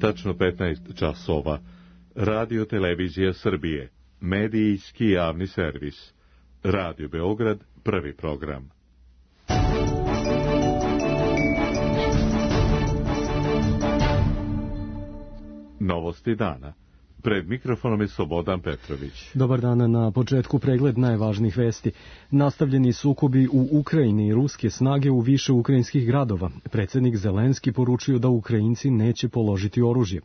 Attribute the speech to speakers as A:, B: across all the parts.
A: Tačno 15 časova. Radio Televizija Srbije. Medijski javni servis. Radio Beograd, prvi program. Novosti dana. Pred mikrofonom je Slobodan Petrović.
B: Dobar dan, na početku pregled najvažnijih vesti. Nastavljeni sukobi u Ukrajini i ruske snage u više ukrajinskih gradova. Predsjednik Zelenski poručio da Ukrajinci neće položiti oružje.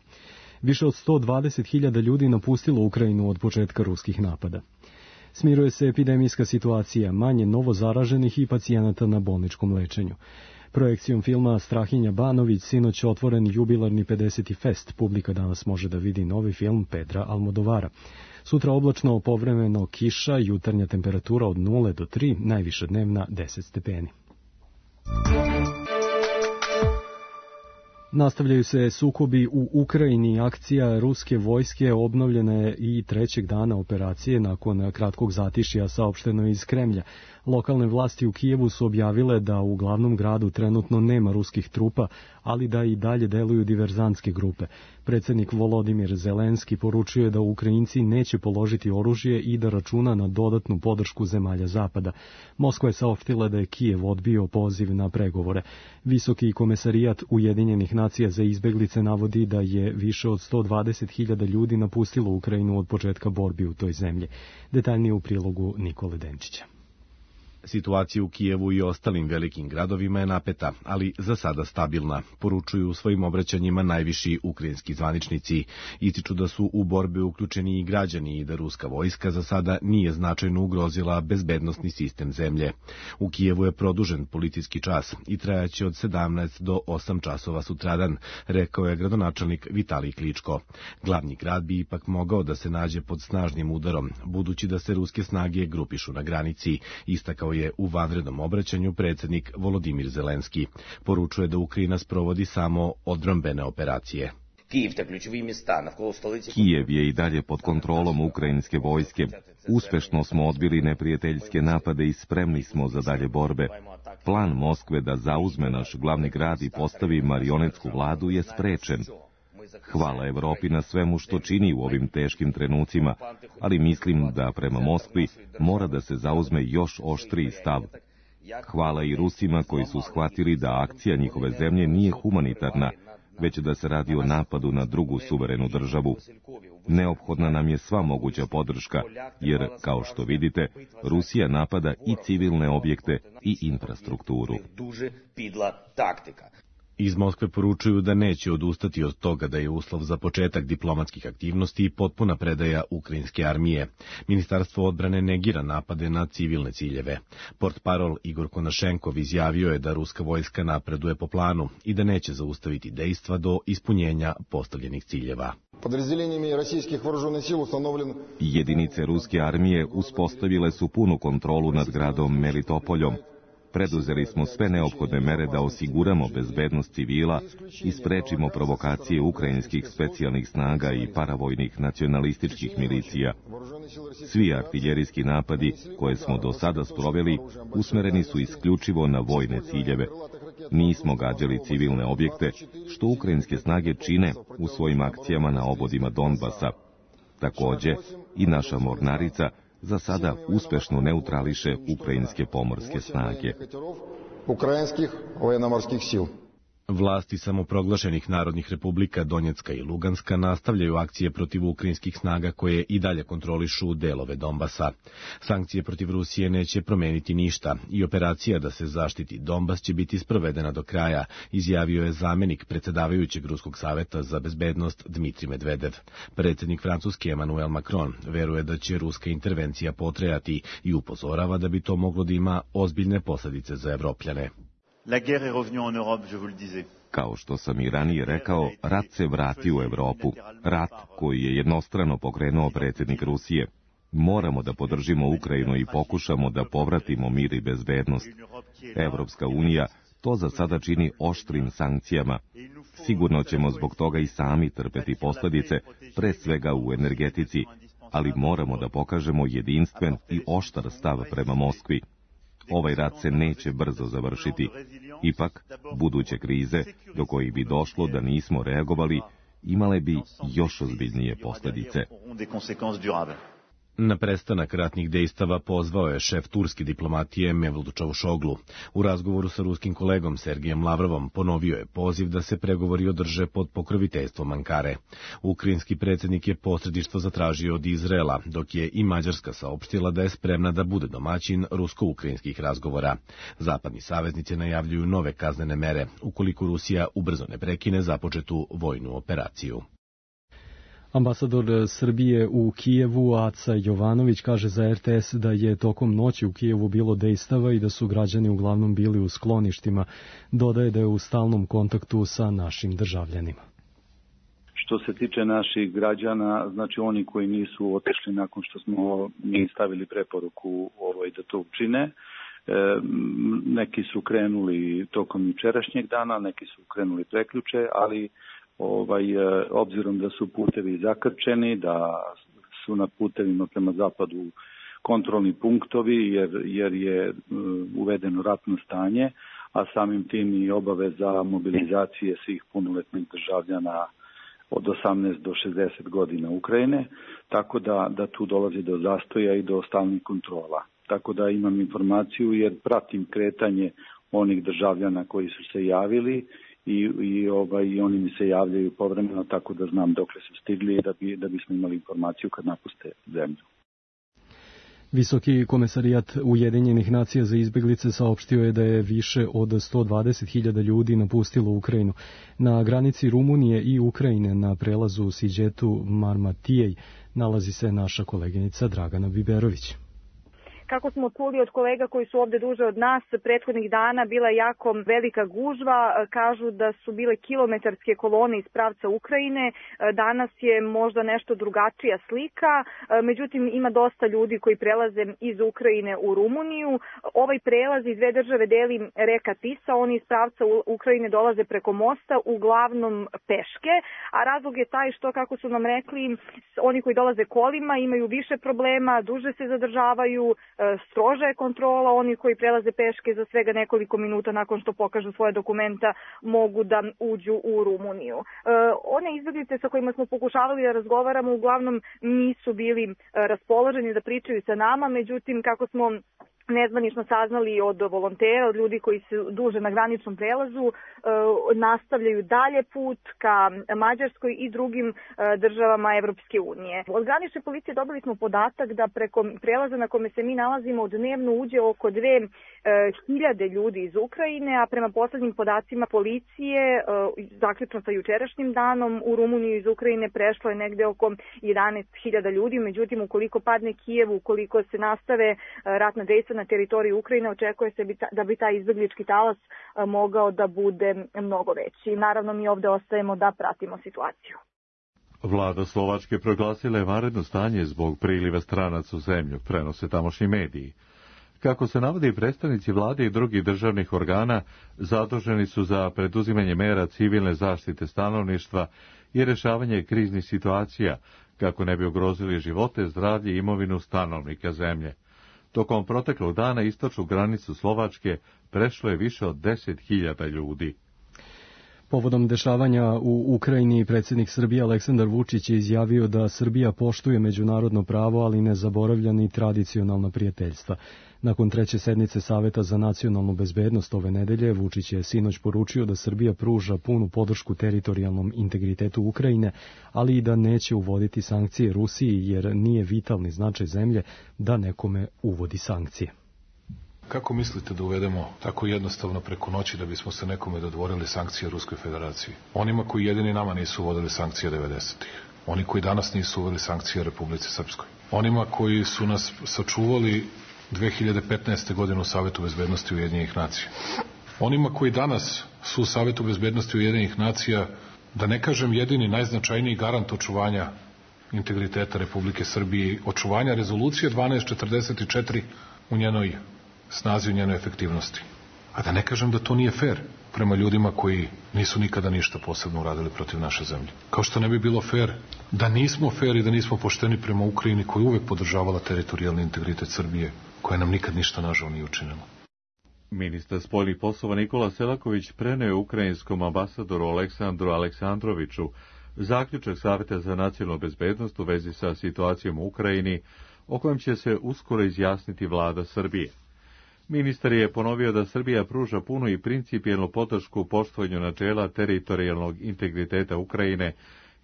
B: Više od 120.000 ljudi napustilo Ukrajinu od početka ruskih napada. Smiruje se epidemijska situacija, manje novo zaraženih i pacijenata na bolničkom lečenju. Projekcijom filma Strahinja Banović sinoć otvoren jubilarni 50. fest. Publika danas može da vidi novi film Pedra Almodovara. Sutra oblačno, povremeno kiša, jutarnja temperatura od 0 do 3, najviša dnevna 10 stepeni. Nastavljaju se sukobi u Ukrajini. Akcija ruske vojske obnovljena je i trećeg dana operacije nakon kratkog zatišja, saopšteno iz Kremlja. Lokalne vlasti u Kijevu su objavile da u glavnom gradu trenutno nema ruskih trupa, ali da i dalje deluju diverzantske grupe. Predsjednik Volodimir Zelenski poručio je da Ukrajinci neće položiti oružje i da računa na dodatnu podršku zemalja Zapada. Moskva je saopštila da je Kijev odbio poziv na pregovore. Visoki komesarijat Ujedinjenih nacija za izbeglice navodi da je više od 120.000 ljudi napustilo Ukrajinu od početka borbi u toj zemlji. Detaljnije u prilogu Nikole Denčića.
C: Situacija u Kijevu i ostalim velikim gradovima je napeta, ali za sada stabilna, poručuju u svojim obraćanjima najviši ukrajinski zvaničnici. Ističu da su u borbe uključeni i građani i da ruska vojska za sada nije značajno ugrozila bezbednosni sistem zemlje. U Kijevu je produžen policijski čas i trajaće od 17 do 8 časova sutradan, rekao je gradonačelnik Vitalij Kličko. Glavni grad bi ipak mogao da se nađe pod snažnim udarom, budući da se ruske snage grupišu na granici, istakao je u vanrednom obraćanju predsjednik Volodimir Zelenski. Poručuje da Ukrajina sprovodi samo odbrambene operacije.
D: Kijev je i dalje pod kontrolom ukrajinske vojske. Uspešno smo odbili neprijateljske napade i spremni smo za dalje borbe. Plan Moskve da zauzme naš glavni grad i postavi marionetsku vladu je sprečen. Hvala Evropi na svemu što čini u ovim teškim trenucima, ali mislim da prema Moskvi mora da se zauzme još oštriji stav. Hvala i Rusima koji su shvatili da akcija njihove zemlje nije humanitarna, već da se radi o napadu na drugu suverenu državu. Neophodna nam je sva moguća podrška, jer, kao što vidite, Rusija napada i civilne objekte i infrastrukturu.
C: Iz Moskve poručuju da neće odustati od toga da je uslov za početak diplomatskih aktivnosti i potpuna predaja ukrajinske armije. Ministarstvo odbrane negira napade na civilne ciljeve. Portparol Igor Konašenkov izjavio je da ruska vojska napreduje po planu i da neće zaustaviti dejstva do ispunjenja postavljenih ciljeva.
D: Jedinice ruske armije uspostavile su punu kontrolu nad gradom Melitopoljom. Preduzeli smo sve neophodne mere da osiguramo bezbednost civila i sprečimo provokacije ukrajinskih specijalnih snaga i paravojnih nacionalističkih milicija. Svi artiljerijski napadi koje smo do sada sproveli usmereni su isključivo na vojne ciljeve. Nismo gađali civilne objekte, što ukrajinske snage čine u svojim akcijama na obodima Donbasa. Takođe, i naša mornarica za sada uspešno neutrališe ukrajinske pomorske snage.
C: Vlasti samoproglašenih narodnih republika Donjecka i Luganska nastavljaju akcije protiv ukrajinskih snaga koje i dalje kontrolišu delove Donbasa. Sankcije protiv Rusije neće promeniti ništa i operacija da se zaštiti Donbas će biti sprovedena do kraja, izjavio je zamenik predsjedavajućeg Ruskog saveta za bezbednost Dmitrij Medvedev. Predsjednik Francuske Emmanuel Macron veruje da će ruska intervencija potrajati i upozorava da bi to moglo da ima ozbiljne posljedice za Evropljane.
E: La guerre est revenue en Europe, je vous le disais.
D: Kao što sam i ranije rekao, rat se vratio u Evropu. Rat koji je jednostrano pokrenuo predsjednik Rusije. Moramo da podržimo Ukrajinu i pokušamo da povratimo mir i bezbednost. Evropska unija to za sada čini oštrim sankcijama. Sigurno ćemo zbog toga i sami trpeti posljedice, pre svega u energetici, ali moramo da pokažemo jedinstven i oštar stav prema Moskvi. Ovaj rat se neće brzo završiti. Ipak, buduće krize, do kojih bi došlo da nismo reagovali, imale bi još ozbiljnije posljedice.
C: Na prestanak ratnih dejstava pozvao je šef turske diplomatije Mevlut Čavuşoglu. U razgovoru sa ruskim kolegom Sergejem Lavrovom ponovio je poziv da se pregovori održe pod pokroviteljstvom Ankare. Ukrajinski predsjednik je posredništvo zatražio od Izraela, dok je i Mađarska saopštila da je spremna da bude domaćin rusko-ukrajinskih razgovora. Zapadni saveznici najavljuju nove kaznene mere ukoliko Rusija ubrzo ne prekine započetu vojnu operaciju.
B: Ambasador Srbije u Kijevu Aca Jovanović kaže za RTS da je tokom noći u Kijevu bilo dejstava i da su građani uglavnom bili u skloništima. Dodaje da je u stalnom kontaktu sa našim državljanima.
F: Što se tiče naših građana, znači oni koji nisu otišli nakon što smo mi stavili preporuku da to učine, neki su krenuli tokom jučerašnjeg dana, neki su krenuli prekjuče, ali obzirom da su putevi zakrčeni, da su na putevima prema zapadu kontrolni punktovi jer je uvedeno ratno stanje, a samim tim i obaveza mobilizacije svih punoletnih državljana od 18 do 60 godina Ukrajine, tako da tu dolazi do zastoja i do stalnih kontrola. Tako da imam informaciju jer pratim kretanje onih državljana koji su se javili i oni mi se javljaju povremeno, tako da znam dokle su stigli i da bismo imali informaciju kad napuste zemlju.
B: Visoki komesarijat Ujedinjenih nacija za izbeglice saopštio je da je više od 120.000 ljudi napustilo Ukrajinu. Na granici Rumunije i Ukrajine na prelazu Siđetu Marmatijej nalazi se naša koleginica Dragana Biberović.
G: Kako smo čuli od kolega koji su ovde duže od nas, prethodnih dana bila je jako velika gužva, kažu da su bile kilometarske kolone iz pravca Ukrajine, danas je možda nešto drugačija slika, međutim ima dosta ljudi koji prelaze iz Ukrajine u Rumuniju. Ovaj prelaz iz dve države deli reka Tisa, oni iz pravca Ukrajine dolaze preko mosta, uglavnom peške, a razlog je taj što, kako su nam rekli, oni koji dolaze kolima imaju više problema, duže se zadržavaju, stroža je kontrola, oni koji prelaze peške za svega nekoliko minuta nakon što pokažu svoje dokumenta mogu da uđu u Rumuniju. One izbeglice sa kojima smo pokušavali da razgovaramo uglavnom nisu bili raspoloženi da pričaju sa nama, međutim kako smo nezvanično saznali od volontera, od ljudi koji su duže na graničnom prelazu, nastavljaju dalje put ka Mađarskoj i drugim državama Evropske unije. Od granične policije dobili smo podatak da preko prelaza na kome se mi nalazimo dnevno uđe oko 2.000 ljudi iz Ukrajine, a prema poslednjim podacima policije, zaključno sa jučerašnjim danom, u Rumuniju iz Ukrajine prešlo je negde oko 11.000 ljudi, međutim ukoliko padne Kijev, ukoliko se nastave ratna dejstva na teritoriji Ukrajine, očekuje se da bi taj izbeglički talas mogao da bude mnogo veći. Naravno, mi ovde ostajemo da pratimo situaciju.
A: Vlada Slovačke proglasila je vanredno stanje zbog priliva stranaca u zemlju, prenose tamošnji mediji. Kako se navodi, predstavnici vlade i drugih državnih organa zaduženi su za preduzimanje mera civilne zaštite stanovništva i rešavanje kriznih situacija, kako ne bi ugrozili živote, zdravlje i imovinu stanovnika zemlje. Tokom proteklog dana istočnu granicu Slovačke prešlo je više od 10.000 ljudi.
B: Povodom dešavanja u Ukrajini, predsjednik Srbije Aleksandar Vučić je izjavio da Srbija poštuje međunarodno pravo, ali ne zaboravlja ni tradicionalna prijateljstva. Nakon treće sednice Saveta za nacionalnu bezbednost ove nedelje, Vučić je sinoć poručio da Srbija pruža punu podršku teritorijalnom integritetu Ukrajine, ali i da neće uvoditi sankcije Rusiji, jer nije vitalni značaj zemlje da nekome uvodi sankcije.
H: Kako mislite da uvedemo tako jednostavno preko noći da bismo se nekome dodvorili sankcije Ruskoj federaciji? Onima koji jedini nama nisu uvodili sankcije 90-ih. Oni koji danas nisu uveli sankcije Republici Srpskoj. Onima koji su nas sačuvali 2015. godine u Savetu bezbednosti Ujedinjenih nacija. Onima koji danas su u Savetu bezbednosti Ujedinjenih nacija, da ne kažem jedini najznačajniji garant očuvanja integriteta Republike Srbije, očuvanja rezolucije 1244 u njenoj snazi, u njenoj efektivnosti. A da ne kažem da to nije fair prema ljudima koji nisu nikada ništa posebno uradili protiv naše zemlje. Kao što ne bi bilo fair da nismo fair i da nismo pošteni prema Ukrajini koja uvek podržavala teritorijalni integritet Srbije, koja nam nikad ništa nažao nije učinila.
A: Ministar spoljnih poslova Nikola Selaković preneo ukrajinskom ambasadoru Aleksandru Aleksandroviću zaključak Saveta za nacionalnu bezbednost u vezi sa situacijom u Ukrajini, o kojem će se uskoro izjasniti vlada Srbije. Ministar je ponovio da Srbija pruža punu i principijelnu podršku poštovanju načela teritorijalnog integriteta Ukrajine,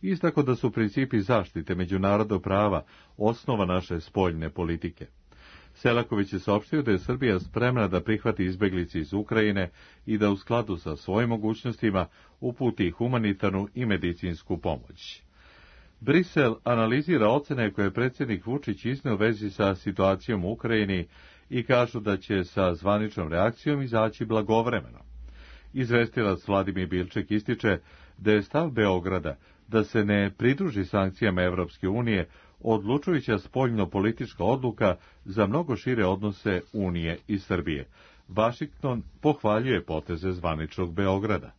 A: istakao da su principi zaštite međunarodnog prava osnova naše spoljne politike. Selaković je saopštio da je Srbija spremna da prihvati izbeglice iz Ukrajine i da u skladu sa svojim mogućnostima uputi humanitarnu i medicinsku pomoć. Brisel analizira ocene koje je predsjednik Vučić izneo u vezi sa situacijom u Ukrajini i kažu da će sa zvaničnom reakcijom izaći blagovremeno. Izvestilac Vladimir Bilček ističe da je stav Beograda da se ne pridruži sankcijama Evropske unije odlučujuća spoljno-politička odluka za mnogo šire odnose Unije i Srbije. Vašington pohvaljuje poteze zvaničnog Beograda.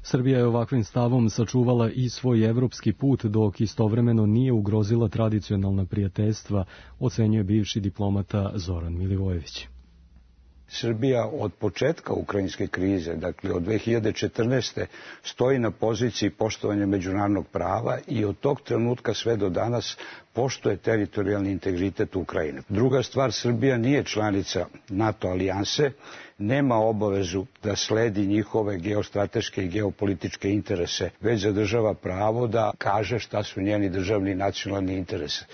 B: Srbija je ovakvim stavom sačuvala i svoj evropski put, dok istovremeno nije ugrozila tradicionalna prijateljstva, ocenjuje bivši diplomata Zoran Milivojević.
I: Srbija od početka ukrajinske krize, dakle od 2014. stoji na poziciji poštovanja međunarodnog prava i od tog trenutka sve do danas poštuje teritorijalni integritet Ukrajine. Druga stvar, Srbija nije članica NATO alijanse, nema obavezu da sledi njihove geostrateške i geopolitičke interese, već zadržava pravo da kaže šta su njeni državni i nacionalni interesi.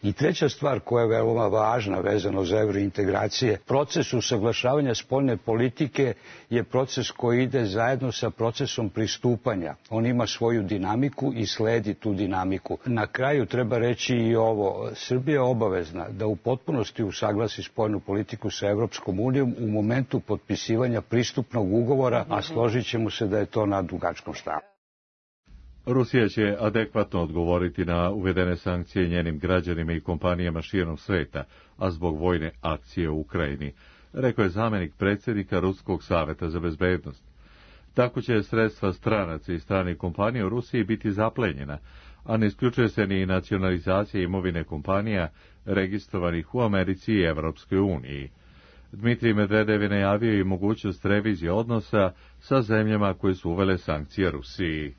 I: I treća stvar koja je veoma važna vezano za evrointegracije, proces usaglašavanja spoljne politike je proces koji ide zajedno sa procesom pristupanja. On ima svoju dinamiku i sledi tu dinamiku. Na kraju treba reći i ovo, Srbija je obavezna da u potpunosti usaglasi spoljnu politiku sa Evropskom unijom u momentu potpisivanja pristupnog ugovora, a složit ćemo se da je to na dugačkom štapu.
A: Rusija će adekvatno odgovoriti na uvedene sankcije njenim građanima i kompanijama širom sveta, a zbog vojne akcije u Ukrajini, rekao je zamjenik predsjednika Ruskog saveta za bezbednost. Tako će sredstva stranaca i stranih kompanija u Rusiji biti zaplenjena, a ne isključuje se ni nacionalizacija imovine kompanija registrovanih u Americi i Evropskoj uniji. Dmitrij Medvedev je najavio i mogućnost revizije odnosa sa zemljama koje su uvele sankcije Rusiji.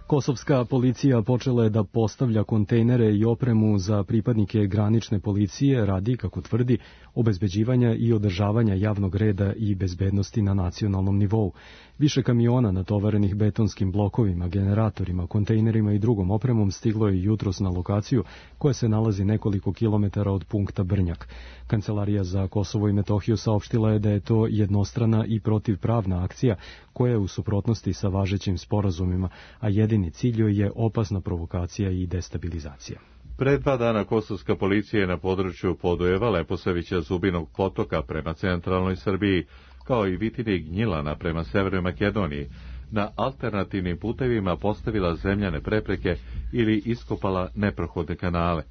B: Kosovska policija počela je da postavlja kontejnere i opremu za pripadnike granične policije radi, kako tvrdi, obezbeđivanja i održavanja javnog reda i bezbednosti na nacionalnom nivou. Više kamiona natovarenih betonskim blokovima, generatorima, kontejnerima i drugom opremom stiglo je jutros na lokaciju koja se nalazi nekoliko kilometara od punkta Brnjak. Kancelarija za Kosovo i Metohiju saopštila je da je to jednostrana i protivpravna akcija koja je u suprotnosti sa važećim sporazumima, a jedini cilj joj je opasna provokacija i destabilizacija.
A: Pred 2 dana kosovska policija je na području Podujeva, Leposavića, Zubinog potoka prema centralnoj Srbiji, kao i Vitine i Gnjilana prema severnoj Makedoniji, na alternativnim putevima postavila zemljane prepreke ili iskopala neprohodne kanale.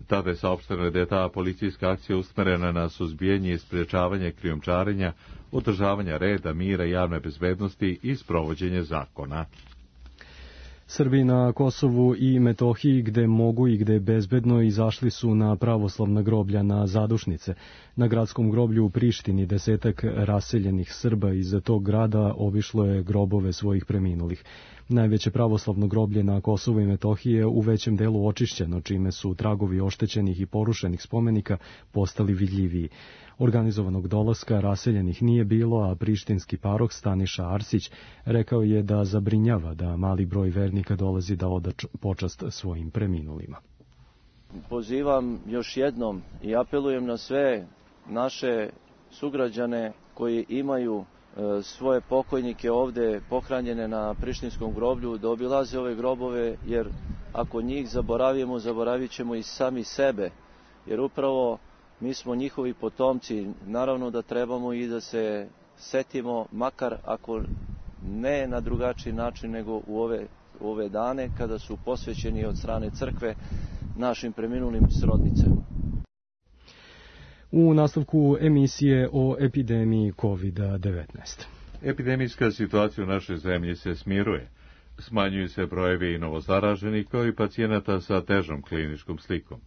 A: Tada je saopšteno da je ta policijska akcija usmerena na suzbijanje i sprječavanje krijumčarenja, održavanja reda, mira i javne bezbednosti i sprovođenje zakona.
B: Srbi na Kosovu i Metohiji, gde mogu i gde je bezbedno, izašli su na pravoslavna groblja na zadušnice. Na gradskom groblju u Prištini 10 raseljenih Srba iz tog grada obišlo je grobove svojih preminulih. Najveće pravoslavno groblje na Kosovu i Metohiji je u većem delu očišćeno, čime su tragovi oštećenih i porušenih spomenika postali vidljiviji. Organizovanog dolaska raseljenih nije bilo, a prištinski paroh Staniša Arsić rekao je da zabrinjava da mali broj vernika dolazi da oda počast svojim preminulima.
J: Pozivam još jednom i apelujem na sve naše sugrađane koji imaju svoje pokojnike ovde pohranjene na prištinskom groblju da obilaze ove grobove, jer ako njih zaboravimo, zaboravit ćemo i sami sebe, jer upravo mi smo njihovi potomci. Naravno da trebamo i da se setimo, makar ako ne na drugačiji način nego u ove dane kada su posvećeni od strane crkve našim preminulim srodnicama.
B: U nastavku emisije o epidemiji COVID-19.
A: Epidemijska situacija u našoj zemlji se smiruje. Smanjuju se brojevi novozaraženih kao i pacijenata sa težom kliničkom slikom.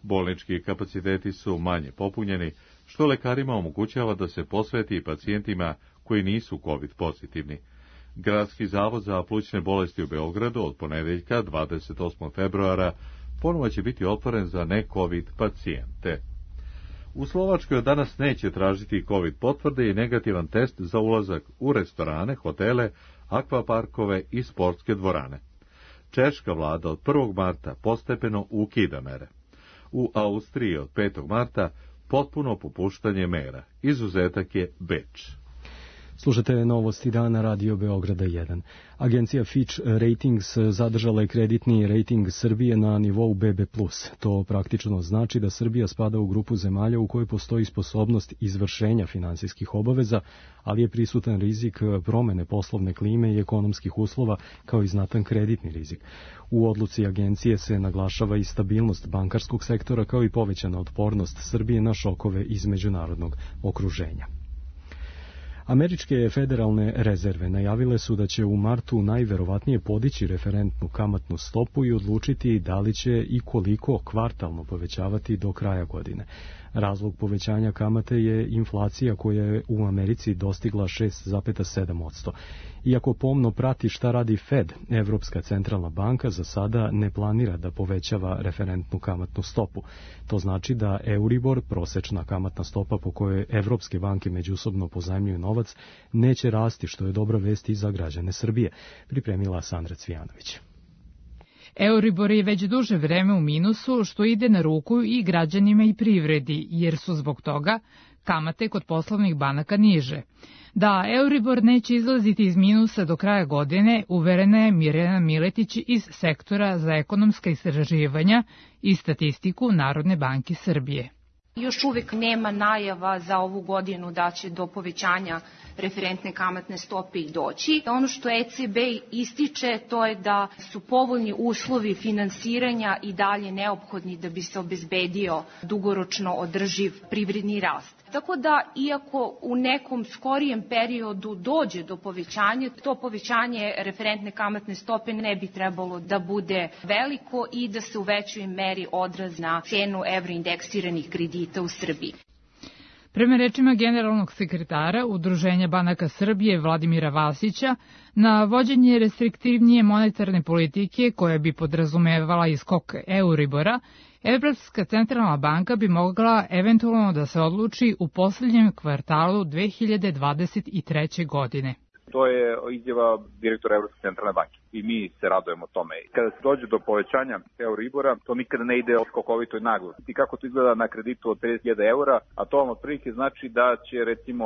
A: Bolnički kapaciteti su manje popunjeni, što lekarima omogućava da se posveti pacijentima koji nisu COVID pozitivni. Gradski zavod za plućne bolesti u Beogradu od ponedeljka 28. februara ponovo će biti otvoren za ne-COVID pacijente. U Slovačkoj od danas neće tražiti COVID potvrde i negativan test za ulazak u restorane, hotele, akvaparkove i sportske dvorane. Češka vlada od 1. marta postepeno ukida mere. U Austriji od 5. marta potpuno popuštanje mera. Izuzetak je Beč.
B: Slušate novosti dana Radio Beograda 1. Agencija Fitch Ratings zadržala je kreditni rating Srbije na nivou BB+. To praktično znači da Srbija spada u grupu zemalja u kojoj postoji sposobnost izvršenja finansijskih obaveza, ali je prisutan rizik promene poslovne klime i ekonomskih uslova kao i znatan kreditni rizik. U odluci agencije se naglašava i stabilnost bankarskog sektora kao i povećana otpornost Srbije na šokove iz međunarodnog okruženja. Američke federalne rezerve najavile su da će u martu najverovatnije podići referentnu kamatnu stopu i odlučiti da li će i koliko kvartalno povećavati do kraja godine. Razlog povećanja kamate je inflacija koja je u Americi dostigla 6,7%. Iako pomno prati šta radi Fed, Evropska centralna banka za sada ne planira da povećava referentnu kamatnu stopu. To znači da Euribor, prosečna kamatna stopa po kojoj evropske banke međusobno pozajmljuju novac, neće rasti, što je dobra vest i za građane Srbije, pripremila Sandra Cvijanović.
K: Euribor je već duže vreme u minusu, što ide na ruku i građanima i privredi, jer su zbog toga kamate kod poslovnih banaka niže. Da Euribor neće izlaziti iz minusa do kraja godine, uverena je Mirjana Miletić iz Sektora za ekonomska istraživanja i statistiku Narodne banke Srbije.
L: Još uvek nema najava za ovu godinu da će do povećanja referentne kamatne stope i doći. Ono što ECB ističe to je da su povoljni uslovi finansiranja i dalje neophodni da bi se obezbedio dugoročno održiv privredni rast. Tako da, iako u nekom skorijem periodu dođe do povećanja, to povećanje referentne kamatne stope ne bi trebalo da bude veliko i da se u većoj meri odrazi na cenu evroindeksiranih kredita u Srbiji.
K: Prema rečima generalnog sekretara Udruženja banaka Srbije Vladimira Vasića, na vođenje restriktivnije monetarne politike koja bi podrazumevala iskok Euribora, Evropska centralna banka bi mogla eventualno da se odluči u posljednjem kvartalu 2023. godine.
M: To je izjava direktora Evropske centralne banke i mi se radujemo tome. Kada se dođe do povećanja Euribora, to nikada ne ide skokovito i naglo. I kako to izgleda na kreditu od 30.000 eura, a to vam otprilike znači da će, recimo,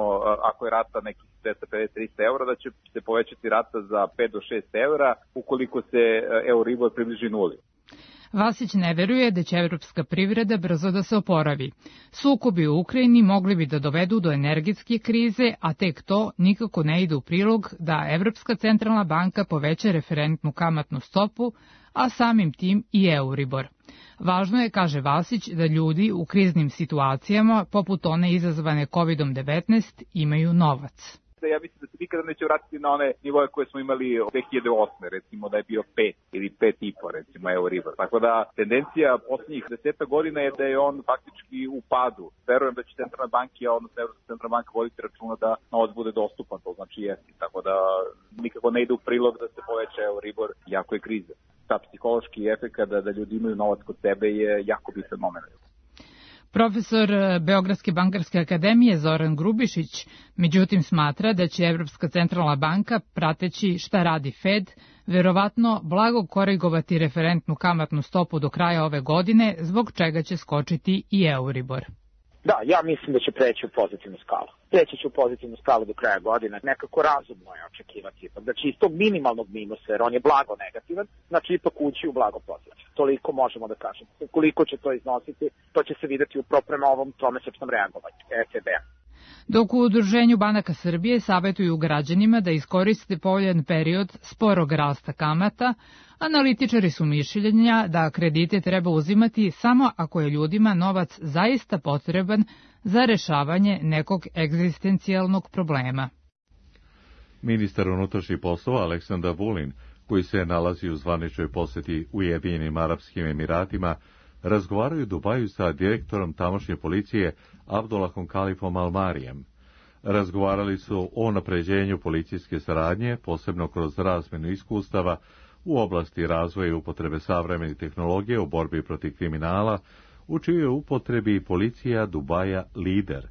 M: ako je rata nekih 250-300 eura, da će se povećati rata za 5 do 6 eura ukoliko se Euribor približi nuli.
K: Vasić ne veruje da će evropska privreda brzo da se oporavi. Sukobi u Ukrajini mogli bi da dovedu do energetske krize, a tek to nikako ne ide u prilog da Evropska centralna banka poveća referentnu kamatnu stopu, a samim tim i Euribor. Važno je, kaže Vasić, da ljudi u kriznim situacijama, poput one izazvane COVID-19, imaju novac.
M: Ja mislim da se nikada neće vratiti na one nivoje koje smo imali od 2008. recimo da je bio 5 ili 5,5 recimo Euribor. Tako da tendencija poslednjih 10 godina je da je on faktički u padu. Verujem da će centralna banka, odnosno Evropska centralna banka voditi računa da novac bude dostupan, to znači jesti. Tako da nikako ne ide u prilog da se poveća Euribor jako je kriza. Ta psihološki efekt da ljudi imaju novac kod sebe je jako bitan moment.
K: Profesor Beogradske bankarske akademije Zoran Grubišić, međutim, smatra da će Evropska centralna banka, prateći šta radi Fed, verovatno blago korigovati referentnu kamatnu stopu do kraja ove godine, zbog čega će skočiti i Euribor.
N: Da, ja mislim da će preći u pozitivnu skalu. Preći će u pozitivnu skalu do kraja godine. Nekako razumno je očekivati. Znači, iz tog minimalnog minusa, jer on je blago negativan, znači ipak ući u blago pozitivno. Toliko možemo da kažemo. Koliko će to iznositi, to će se videti upravo prema ovom tromesečnom reagovanju ECB-a.
K: Dok u Udruženju banaka Srbije savjetuju građanima da iskoriste povoljan period sporog rasta kamata, analitičari su mišljenja da kredite treba uzimati samo ako je ljudima novac zaista potreban za rešavanje nekog egzistencijalnog problema.
A: Ministar unutrašnjih poslova Aleksandar Vulin, koji se nalazi u zvaničnoj poseti Ujedinjenim Arapskim Emiratima, razgovaraju u Dubaju sa direktorom tamošnje policije Abdullahom Kalifom Almarijem. Razgovarali su o unapređenju policijske saradnje, posebno kroz razmjenu iskustava u oblasti razvoja i upotrebe savremenih tehnologija u borbi protiv kriminala, u čijoj upotrebi policija Dubaja lider.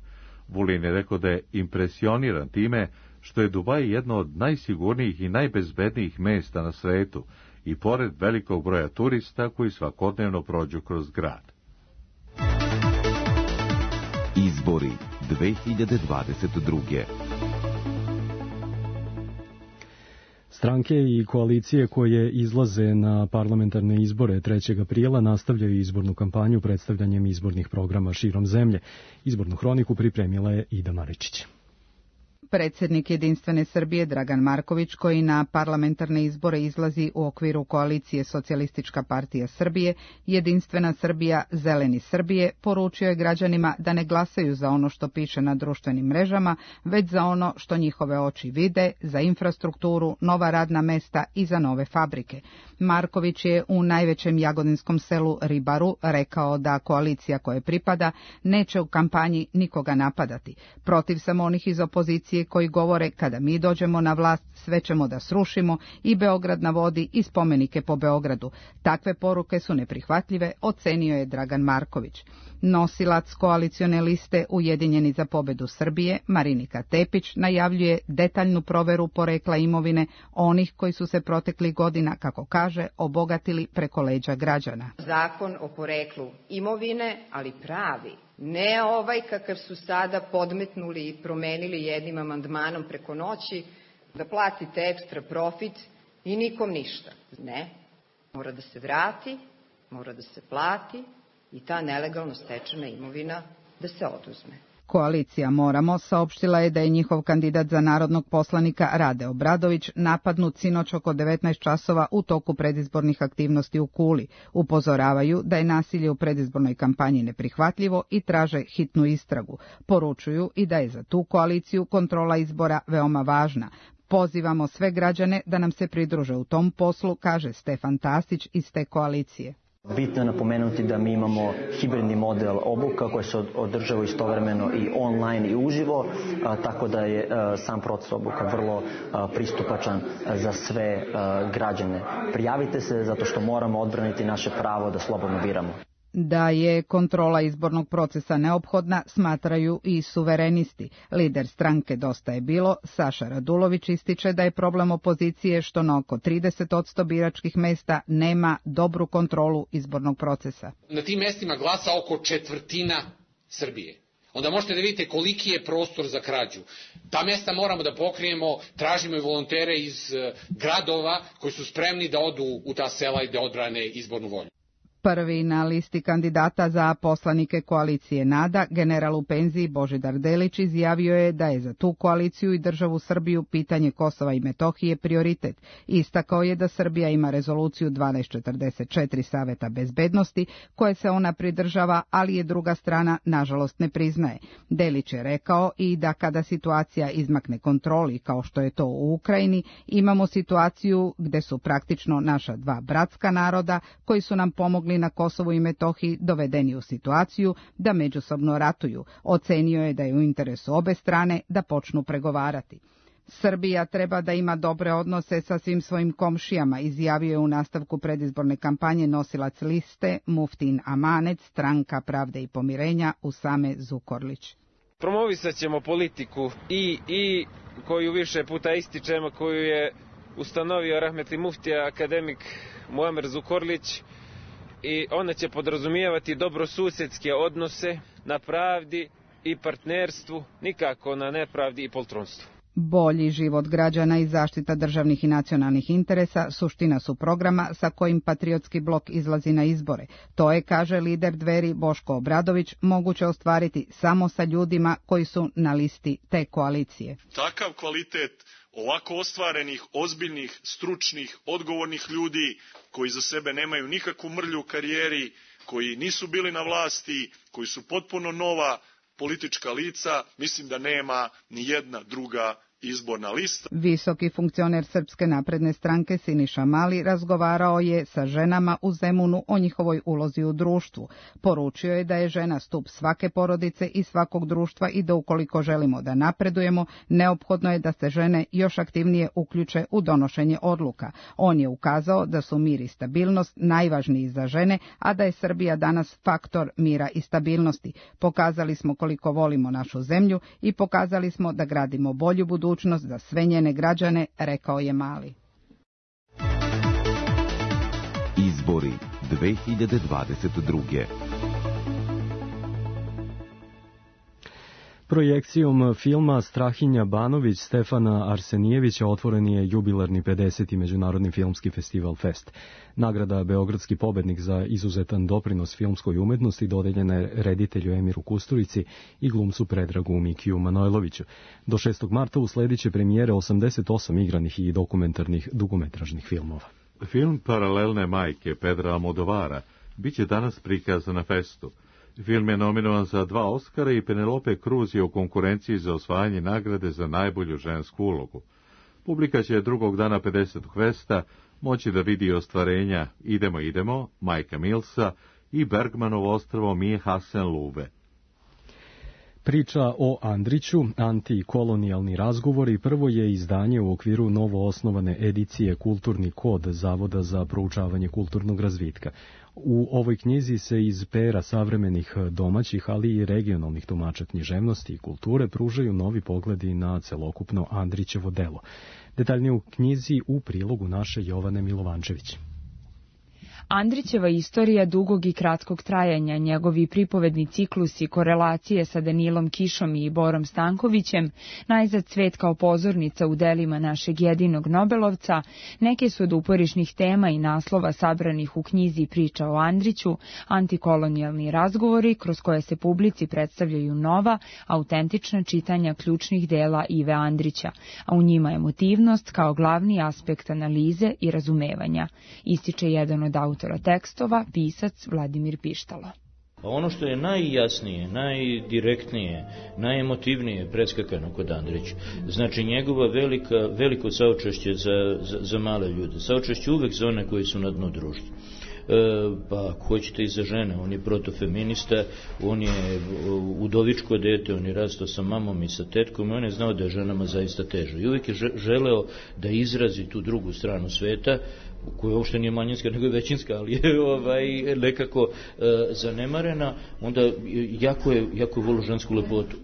A: Vulin je rekao da je impresioniran time što je Dubaj jedno od najsigurnijih i najbezbednijih mesta na svetu i pored velikog broja turista koji svakodnevno prođu kroz grad.
D: Izbori 2022.
B: Stranke i koalicije koje izlaze na parlamentarne izbore 3. aprila nastavljaju izbornu kampanju predstavljanjem izbornih programa širom zemlje. Izbornu hroniku pripremila je Ida Maričić.
O: Predsjednik Jedinstvene Srbije Dragan Marković, koji na parlamentarne izbore izlazi u okviru koalicije Socijalistička partija Srbije, Jedinstvena Srbija, Zeleni Srbije, poručio je građanima da ne glasaju za ono što piše na društvenim mrežama, već za ono što njihove oči vide, za infrastrukturu, nova radna mesta i za nove fabrike. Marković je u najvećem jagodinskom selu Ribaru rekao da koalicija koje pripada neće u kampanji nikoga napadati. Protiv sam onih iz opozicije koji govore kada mi dođemo na vlast sve ćemo da srušimo i Beograd na vodi i spomenike po Beogradu. Takve poruke su neprihvatljive, ocenio je Dragan Marković. Nosilac koalicione liste Ujedinjeni za pobedu Srbije, Marinika Tepić, najavljuje detaljnu proveru porekla imovine onih koji su se proteklih godina, kako kaže, obogatili preko leđa građana.
P: Zakon o poreklu imovine, ali pravi, ne ovaj kakav su sada podmetnuli i promenili jednim amandmanom preko noći, da platite ekstra profit i nikom ništa. Ne, mora da se vrati, mora da se plati i ta nelegalno stečena imovina da se oduzme.
O: Koalicija Moramo saopštila je da je njihov kandidat za narodnog poslanika Rade Obradović napadnut sinoć oko 19 časova u toku predizbornih aktivnosti u Kuli. Upozoravaju da je nasilje u predizbornoj kampanji neprihvatljivo i traže hitnu istragu. Poručuju i da je za tu koaliciju kontrola izbora veoma važna. Pozivamo sve građane da nam se pridruže u tom poslu, kaže Stefan Tasić iz te koalicije.
Q: Bitno je napomenuti da mi imamo hibridni model obuka koji se održava istovremeno i online i uživo, tako da je sam proces obuka vrlo pristupačan za sve građane. Prijavite se zato što moramo odbraniti naše pravo da slobodno biramo.
O: Da je kontrola izbornog procesa neophodna, smatraju i suverenisti. Lider stranke Dosta je bilo, Saša Radulović, ističe da je problem opozicije što na oko 30% biračkih mesta nema dobru kontrolu izbornog procesa.
R: Na tim mestima glasa oko četvrtina Srbije. Onda možete da vidite koliki je prostor za krađu. Ta mesta moramo da pokrijemo, tražimo i volontere iz gradova koji su spremni da odu u ta sela i da odbrane izbornu volju.
O: Prvi na listi kandidata za poslanike koalicije NADA, general u penziji Božidar Delić, izjavio je da je za tu koaliciju i državu Srbiju pitanje Kosova i Metohije prioritet. Istakao je da Srbija ima rezoluciju 1244 Saveta bezbednosti, koje se ona pridržava, ali je druga strana nažalost ne priznaje. Delić je rekao i da kada situacija izmakne kontroli, kao što je to u Ukrajini, imamo situaciju gde su praktično naša dva bratska naroda, koji su nam pomogli na Kosovu i Metohiji, dovedeni u situaciju da međusobno ratuju. Ocenio je da je u interesu obe strane da počnu pregovarati. Srbija treba da ima dobre odnose sa svim svojim komšijama, izjavio je u nastavku predizborne kampanje nosilac liste Muftin Amanec, Stranka pravde i pomirenja, Usame Zukorlić.
S: Promovisat ćemo politiku i koju više puta ističemo, koju je ustanovio rahmetli muftija akademik Muamer Zukorlić, i ona će podrazumijevati dobrosusjedske odnose na pravdi i partnerstvu, nikako na nepravdi i poltronstvu.
O: Bolji život građana i zaštita državnih i nacionalnih interesa suština su programa sa kojim Patriotski blok izlazi na izbore. To je, kaže lider Dveri Boško Obradović, moguće ostvariti samo sa ljudima koji su na listi te koalicije.
T: Takav kvalitet ovako ostvarenih, ozbiljnih, stručnih, odgovornih ljudi koji za sebe nemaju nikakvu mrlju u karijeri, koji nisu bili na vlasti, koji su potpuno nova politička lica, mislim da nema ni jedna druga izborna lista.
O: Visoki funkcioner Srpske napredne stranke Siniša Mali razgovarao je sa ženama u Zemunu o njihovoj ulozi u društvu. Poručio je da je žena stup svake porodice i svakog društva i da ukoliko želimo da napredujemo, neophodno je da se žene još aktivnije uključe u donošenje odluka. On je ukazao da su mir i stabilnost najvažniji za žene, a da je Srbija danas faktor mira i stabilnosti. Pokazali smo koliko volimo našu zemlju i pokazali smo da gradimo bolju budućnost za sve njene građane, rekao je Mali.
D: Izbori 2022.
B: Projekcijom filma Strahinja Banović Stefana Arsenijevića otvoren je jubilarni 50. Međunarodni filmski festival Fest. Nagrada Beogradski pobednik za izuzetan doprinos filmskoj umetnosti dodeljena je reditelju Emiru Kusturici i glumcu Predragu Mikiju Manojloviću. Do 6. marta usledit će premijere 88 igranih i dokumentarnih dugometražnih filmova.
A: Film Paralelne majke Pedra Almodovara biće danas prikazan na festu. Film je nominovan za 2 Oscara i Penelope Cruz je u konkurenciji za osvajanje nagrade za najbolju žensku ulogu. Publika će drugog dana 50. festa moći da vidi ostvarenja Idemo, Majka Milsa i Bergmanovo ostrvo Mije Hasen Lube.
B: Priča o Andriću, antikolonijalni razgovori, prvo je izdanje u okviru novo osnovane edicije Kulturni kod Zavoda za proučavanje kulturnog razvitka. U ovoj knjizi se iz pera savremenih domaćih, ali i regionalnih tumača književnosti i kulture pružaju novi pogledi na celokupno Andrićevo delo. Detaljnije u knjizi u prilogu naše Jovane Milovančević.
U: Andrićeva istorija dugog i kratkog trajanja, njegovi pripovedni ciklusi, korelacije sa Danilom Kišom i Borom Stankovićem, najzad cvet kao pozornica u delima našeg jedinog Nobelovca, neke su od uporišnih tema i naslova sabranih u knjizi Priča o Andriću, antikolonijalni razgovori kroz koje se publici predstavljaju nova, autentična čitanja ključnih dela Ive Andrića, a u njima emotivnost kao glavni aspekt analize i razumevanja, ističe jedan od autora tekstova, pisac Vladimir Pištalo.
V: Ono što je najjasnije, najdirektnije, najemotivnije predskakano kod Andrića, znači njegova veliko saučešće za male ljude, saučešće uvek za one koji su na dnu društva. Pa ako hoćete i za žene, on je protofeminista, on je udovičko dete, on je rastao sa mamom i sa tetkom i on je znao da je ženama zaista teže. I uvijek je želeo da izrazi tu drugu stranu sveta, koja uopšte nije manjinska nego je većinska, ali je nekako zanemarena, onda jako je volio žensku lepotu.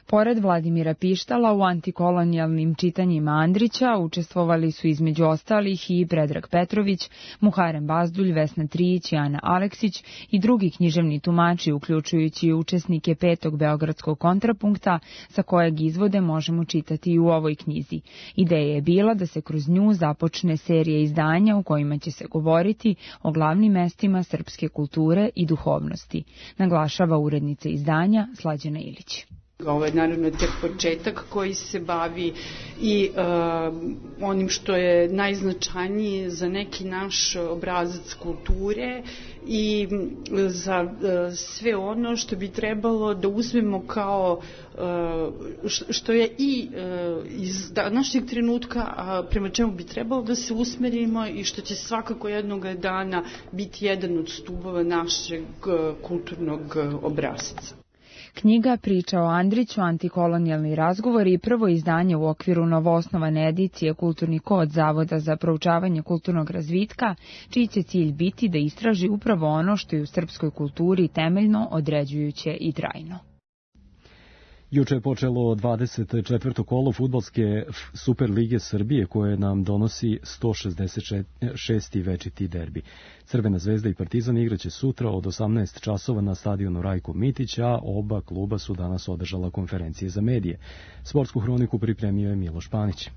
U: Pored Vladimira Pištala u antikolonijalnim čitanjima Andrića učestvovali su između ostalih i Predrag Petrović, Muharem Bazdulj, Vesna Trijić i Ana Aleksić i drugi književni tumači, uključujući učesnike 5. Beogradskog kontrapunkta, sa kojeg izvode možemo čitati i u ovoj knjizi. Ideja je bila da se kroz nju započne serija izdanja u kojima će se govoriti o glavnim mestima srpske kulture i duhovnosti, naglašava urednica izdanja Slađana Ilić.
W: Ovo je naravno tek početak koji se bavi i onim što je najznačajnije za neki naš obrazac kulture i za sve ono što bi trebalo da uzmemo kao što je i iz današnjeg trenutka prema čemu bi trebalo da se usmerimo i što će svakako jednog dana biti jedan od stubova našeg kulturnog obrazca.
U: Knjiga Priča o Andriću, antikolonijalni razgovori i prvo izdanje u okviru novoosnovane edicije Kulturni kod Zavoda za proučavanje kulturnog razvitka, čiji će cilj biti da istraži upravo ono što je u srpskoj kulturi temeljno, određujuće i trajno.
B: Juče je počelo 24. kolo fudbalske Superlige Srbije koje nam donosi 166. večiti derbi. Crvena zvezda i Partizan igraće sutra od 18 časova na stadionu Rajko Mitić, a oba kluba su danas održala konferencije za medije. Sportsku hroniku pripremio je Miloš Panić.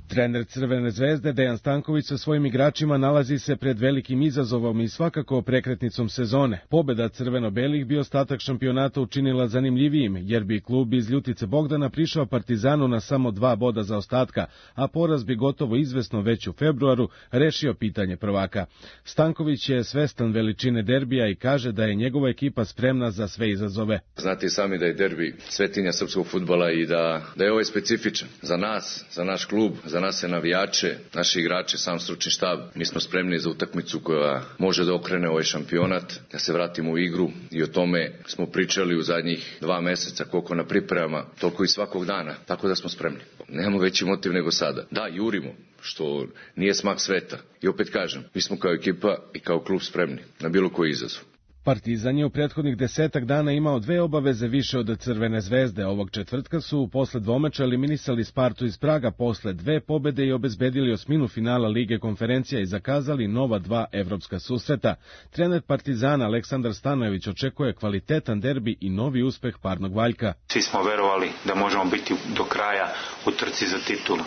C: Trener Crvene zvezde Dejan Stanković sa svojim igračima nalazi se pred velikim izazovom i svakako prekretnicom sezone. Pobjeda crveno-belih bi ostatak šampionata učinila zanimljivijim, jer bi klub iz Ljutice Bogdana prišao Partizanu na samo 2 boda za ostatka, a poraz bi gotovo izvesno već u februaru rešio pitanje prvaka. Stanković je svestan veličine derbija i kaže da je njegova ekipa spremna za sve izazove.
E: Znate i sami da je derbi svetinja srpskog fudbala i da je ovaj specifičan za nas, za naš klub, za nas je navijače, naši igrače, sam stručni štab. Mi smo spremni za utakmicu koja može da okrene ovaj šampionat, da se vratimo u igru i o tome smo pričali u zadnjih 2 meseca, koliko na pripremama, toliko i svakog dana, tako da smo spremni. Nemamo veći motiv nego sada. Da, jurimo, što nije smak sveta. I opet kažem, mi smo kao ekipa i kao klub spremni na bilo koji izazov.
C: Partizan je u prethodnih 10 dana imao 2 obaveze više od Crvene zvezde. Ovog četvrtka su posle dvomeča eliminisali Spartu iz Praga posle 2 pobede i obezbedili osminu finala Lige konferencija i zakazali nova 2 evropska susreta. Trener Partizana Aleksandar Stanojević očekuje kvalitetan derbi i novi uspeh parnog valjka.
F: Svi smo verovali da možemo biti do kraja u trci za titulu.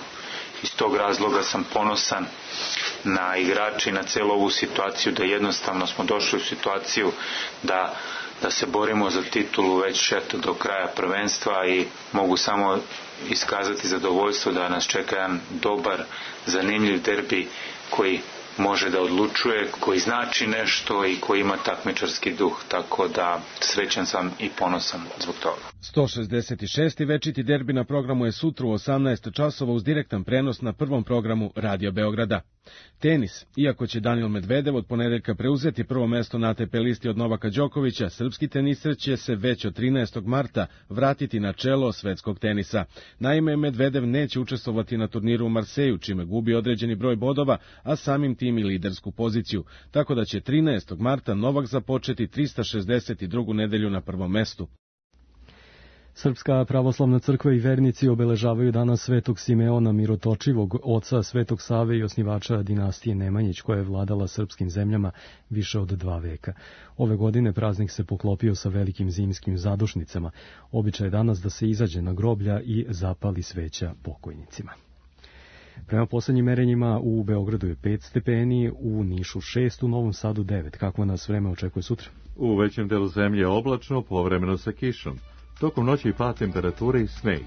F: Iz tog razloga sam ponosan na igrače i na celu ovu situaciju, da jednostavno smo došli u situaciju da se borimo za titulu već do kraja prvenstva i mogu samo iskazati zadovoljstvo da nas čeka jedan dobar, zanimljiv derbi koji može da odlučuje, koji znači nešto i koji ima takmičarski duh, tako da srećan sam i ponosan zbog toga.
C: 166. večiti derbi na programu je sutra u 18 časova uz direktan prenos na prvom programu Radio Beograda. Tenis. Iako će Daniil Medvedev od ponedeljka preuzeti prvo mesto na ATP listi od Novaka Đokovića, srpski teniser će se već od 13. marta vratiti na čelo svetskog tenisa. Naime, Medvedev neće učestvovati na turniru u Marseju, čime gubi određeni broj bodova, a samim tim i lidersku poziciju. Tako da će 13. marta Novak započeti 362. nedelju na prvom mestu.
B: Srpska pravoslavna crkva i vernici obeležavaju danas Svetog Simeona Mirotočivog, oca Svetog Save i osnivača dinastije Nemanjić, koja je vladala srpskim zemljama više od 2 veka. Ove godine praznik se poklopio sa velikim zimskim zadušnicama. Običaj je danas da se izađe na groblja i zapali sveća pokojnicima. Prema poslednjim merenjima u Beogradu je 5 stepeni, u Nišu 6, u Novom Sadu 9. Kako nas vreme očekuje sutra?
A: U većem delu zemlje je oblačno, povremeno sa kišom. Tokom noći pad temperature i sneg.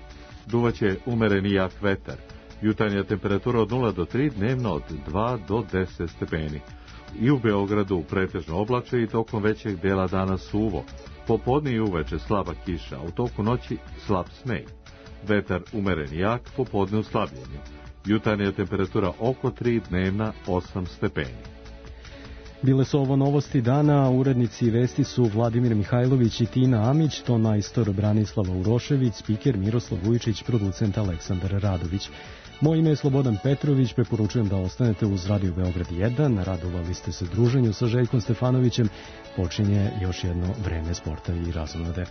A: Duvaće umereni jak vetar. Jutarnja temperatura od 0 do 3, dnevno od 2 do 10 stepeni. I u Beogradu pretežno oblače i tokom većeg dela dana suvo. Popodne i uveče slaba kiša, a u toku noći slab sneg. Vetar umeren jak, popodne u slabljenju. Jutarnja temperatura oko 3, dnevna 8 stepeni.
B: Bile su ovo novosti dana, urednici vesti su Vladimir Mihajlović i Tina Amić, tonajstor Branislava Urošević, spiker Miroslav Vujčić, producent Aleksandar Radović. Moje ime je Slobodan Petrović, preporučujem da ostanete uz Radio Beograd 1, radovali ste se druženju sa Željkom Stefanovićem, počinje još jedno vreme sporta i razonode.